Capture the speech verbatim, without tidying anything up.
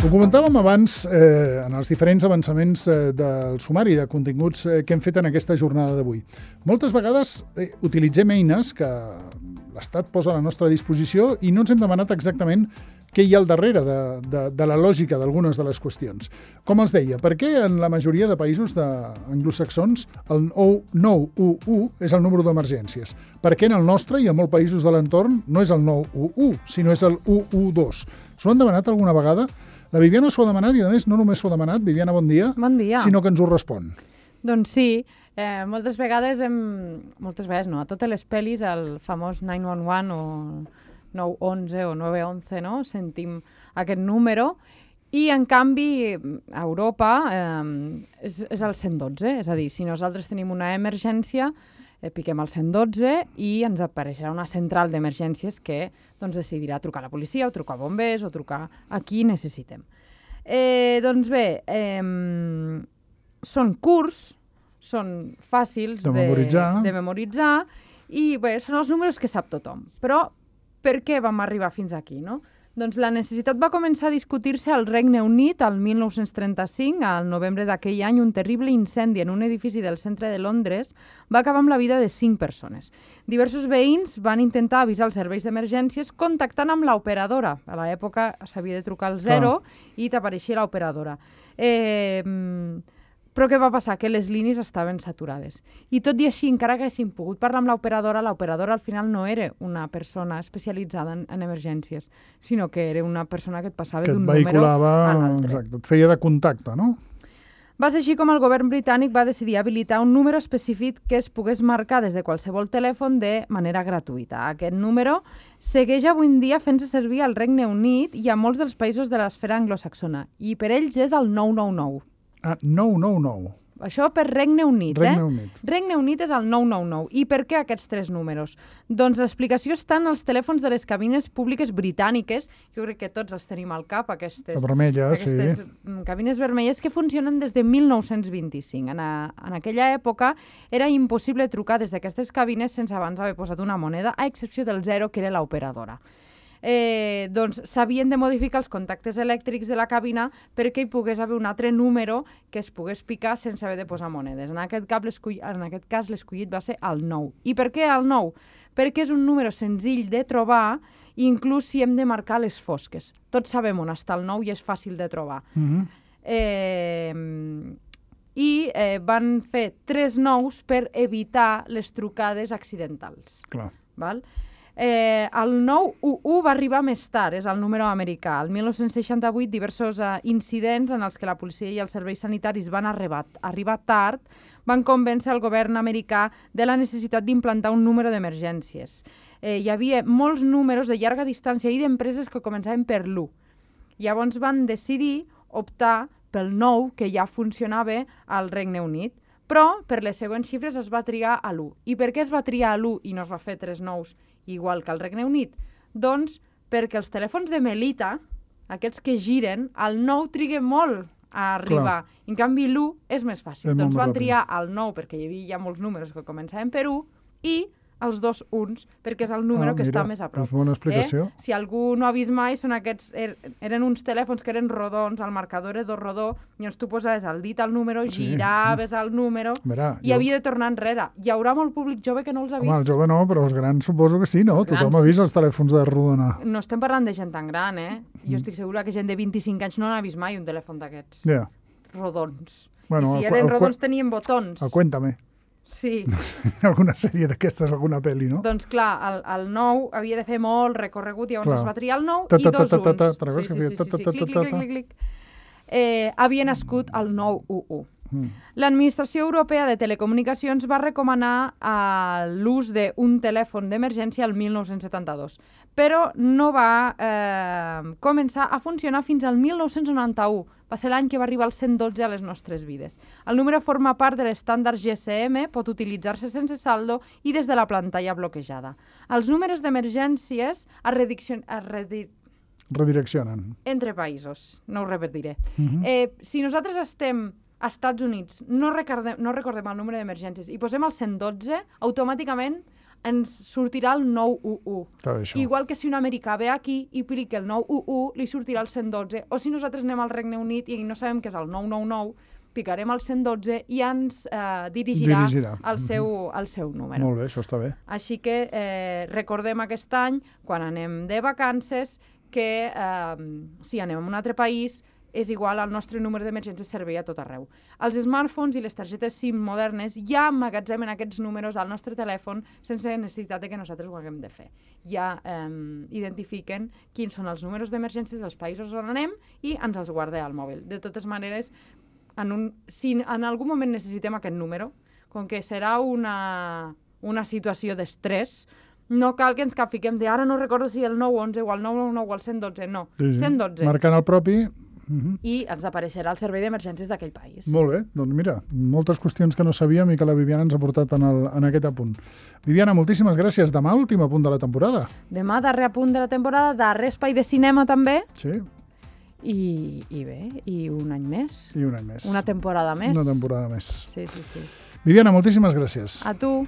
Ho comentàvem abans eh, en els diferents avançaments eh, del sumari de continguts eh, que hem fet en aquesta jornada d'avui. Moltes vegades eh, utilitzem eines que l'Estat posa a la nostra disposició i no ens hem demanat exactament què hi ha al darrere de, de, de la lògica d'algunes de les qüestions. Com els deia, per què en la majoria de països de anglosaxons el nou u u és el número d'emergències? Per què en el nostre i en molts països de l'entorn no és el nou u u, sinó és el u u dos? S'ho han demanat alguna vegada? La Viviana s'ho ha demanat i, a més, no només s'ho ha demanat, Viviana, bon dia, bon dia, sinó que ens ho respon. Doncs sí, eh, moltes vegades, hem, moltes vegades no, a totes les pel·lis, el famós nou u u o nou onze o nou onze, no? Sentim aquest número i, en canvi, a Europa eh, és, és el cent dotze, és a dir, si nosaltres tenim una emergència, eh, piquem el cent dotze i ens apareixerà una central d'emergències que doncs, decidirà trucar a la policia o trucar a bombers o trucar a qui necessitem. Eh, doncs bé, eh, són curts, són fàcils de memoritzar. de, de memoritzar i bé, són els números que sap tothom. Però per què vam arribar fins aquí, no? Doncs la necessitat va començar a discutir-se al Regne Unit al mil nou-cents trenta-cinc, al novembre d'aquell any, un terrible incendi en un edifici del centre de Londres va acabar amb la vida de cinc persones. Diversos veïns van intentar avisar els serveis d'emergències contactant amb l'operadora. A l'època s'havia de trucar al zero oh. i t'apareixia l'operadora. Eh... Però què va passar? Que les línies estaven saturades. I tot i així, encara que haguéssim pogut parlar amb l'operadora, l'operadora al final no era una persona especialitzada en, en emergències, sinó que era una persona que et passava d'un número a l'altre. Exacte, et feia de contacte, no? Va ser així com el govern britànic va decidir habilitar un número específic que es pogués marcar des de qualsevol telèfon de manera gratuïta. Aquest número segueix avui en dia fent-se servir al Regne Unit i a molts dels països de l'esfera anglosaxona, i per ells és el nou nou nou. Ah, nou nou nou. Això per Regne Unit, Regne eh? Unit. Regne Unit és el nou nou nou. I per què aquests tres números? Doncs l'explicació està en els telèfons de les cabines públiques britàniques. Jo crec que tots els tenim al cap, aquestes, vermella, aquestes sí. cabines vermelles que funcionen des de mil nou-cents vint-i-cinc. En, a, en aquella època era impossible trucar des d'aquestes cabines sense abans haver posat una moneda, a excepció del zero, que era l'operadora. Eh, doncs s'havien de modificar els contactes elèctrics de la cabina perquè hi pogués haver un altre número que es pogués picar sense haver de posar monedes. En aquest, cap, en aquest cas l'escollit va ser el nou. I per què el nou? Perquè és un número senzill de trobar, inclús si hem de marcar les fosques. Tots sabem on està el nou i és fàcil de trobar. Mm-hmm. eh, I eh, van fer tres nous per evitar les trucades accidentals. Clar. Val? Eh, el nou u u va arribar més tard, és el número americà. El mil nou-cents seixanta-vuit, diversos eh, incidents en els que la policia i els serveis sanitaris van arribar, arribar tard van convèncer el govern americà de la necessitat d'implantar un número d'emergències. Eh, hi havia molts números de llarga distància i d'empreses que començaven per l'u. Llavors van decidir optar pel nou, que ja funcionava al Regne Unit. Però per les següents xifres es va triar a l'u. I per què es va triar a l'u i no es va fer tres nous igual que al Regne Unit? Doncs perquè els telèfons de Melita, aquests que giren, el nou triga molt a arribar. Clar. En canvi, l'u és més fàcil. És doncs van triar el nou perquè hi havia ja molts números que començaven per u i els dos uns, perquè és el número ah, que mira, està més a prop. És bona explicació. Eh? Si algú no ha vist mai, són aquests, er, eren uns telèfons que eren rodons, el marcador era rodó, i llavors tu posaves el dit al número, giraves sí. el número, Mira, i jo... havia de tornar enrere. Hi haurà molt públic jove que no els ha vist. Home, el jove no, però els grans suposo que sí, no? Els Tothom grans... ha vist els telèfons de rodona. No estem parlant de gent tan gran, eh? Jo estic segura que gent de vint-i-cinc anys no n'ha vist mai un telèfon d'aquests. Ja. Yeah. Rodons. Bueno, I si eren el, rodons el, tenien botons. El Cuéntame. Sí. Alguna sèrie d'aquestes, alguna pel·li, no? Doncs clar, el, el nou havia de fer molt recorregut, llavors clar. Es va triar el nou i dos uns. Sí, sí, sí, clic, clic, clic, clic. Eh, havia nascut el nou u u. Mm. L'Administració Europea de Telecomunicacions va recomanar eh, l'ús d'un telèfon d'emergència el mil nou-cents setanta-dos, però no va eh, començar a funcionar fins al mil nou-cents noranta-u. Va ser l'any que va arribar el cent dotze a les nostres vides. El número forma part de l'estàndard G S M, pot utilitzar-se sense saldo i des de la pantalla bloquejada. Els números d'emergències es, rediccion... es redi... redireccionen entre països, no ho repetiré. Uh-huh. eh, si nosaltres estem a Estats Units, no recordem, no recordem el número d'emergències i posem el cent dotze, automàticament ens sortirà el nou u u. Clar, això. Igual que si un americà ve aquí i pica el nou u u, li sortirà el cent dotze. O si nosaltres anem al Regne Unit i no sabem què és el nou nou nou, picarem el cent dotze i ens eh, dirigirà, dirigirà. Al, seu, al seu número. Molt bé, això està bé. Així que eh, recordem aquest any, quan anem de vacances, que eh, si anem a un altre país és igual al nostre número d'emergència servei a tot arreu. Els smartphones i les targetes SIM modernes ja emmagatzemen aquests números al nostre telèfon sense necessitat de que nosaltres ho haguem de fer. Ja eh, identifiquen quins són els números d'emergències dels països on anem i ens els guarda al mòbil. De totes maneres, en un, si en algun moment necessitem aquest número, com que serà una, una situació d'estrès, no cal que ens capfiquem de ara no recordo si el nou onze o el nou nou nou o el cent dotze, no, sí, sí. cent dotze. Marcant el propi... Uh-huh. I ens apareixerà el servei d'emergències d'aquell país. Molt bé, doncs mira, moltes qüestions que no sabíem i que la Viviana ens ha portat en, el, en aquest apunt. Viviana, moltíssimes gràcies. Demà, últim apunt de la temporada. Demà, darrer apunt de la temporada, darrer espai de cinema també. Sí. I, i bé, i un any més. I un any més. Una temporada més. Una temporada més. Sí, sí, sí. Viviana, moltíssimes gràcies. A tu.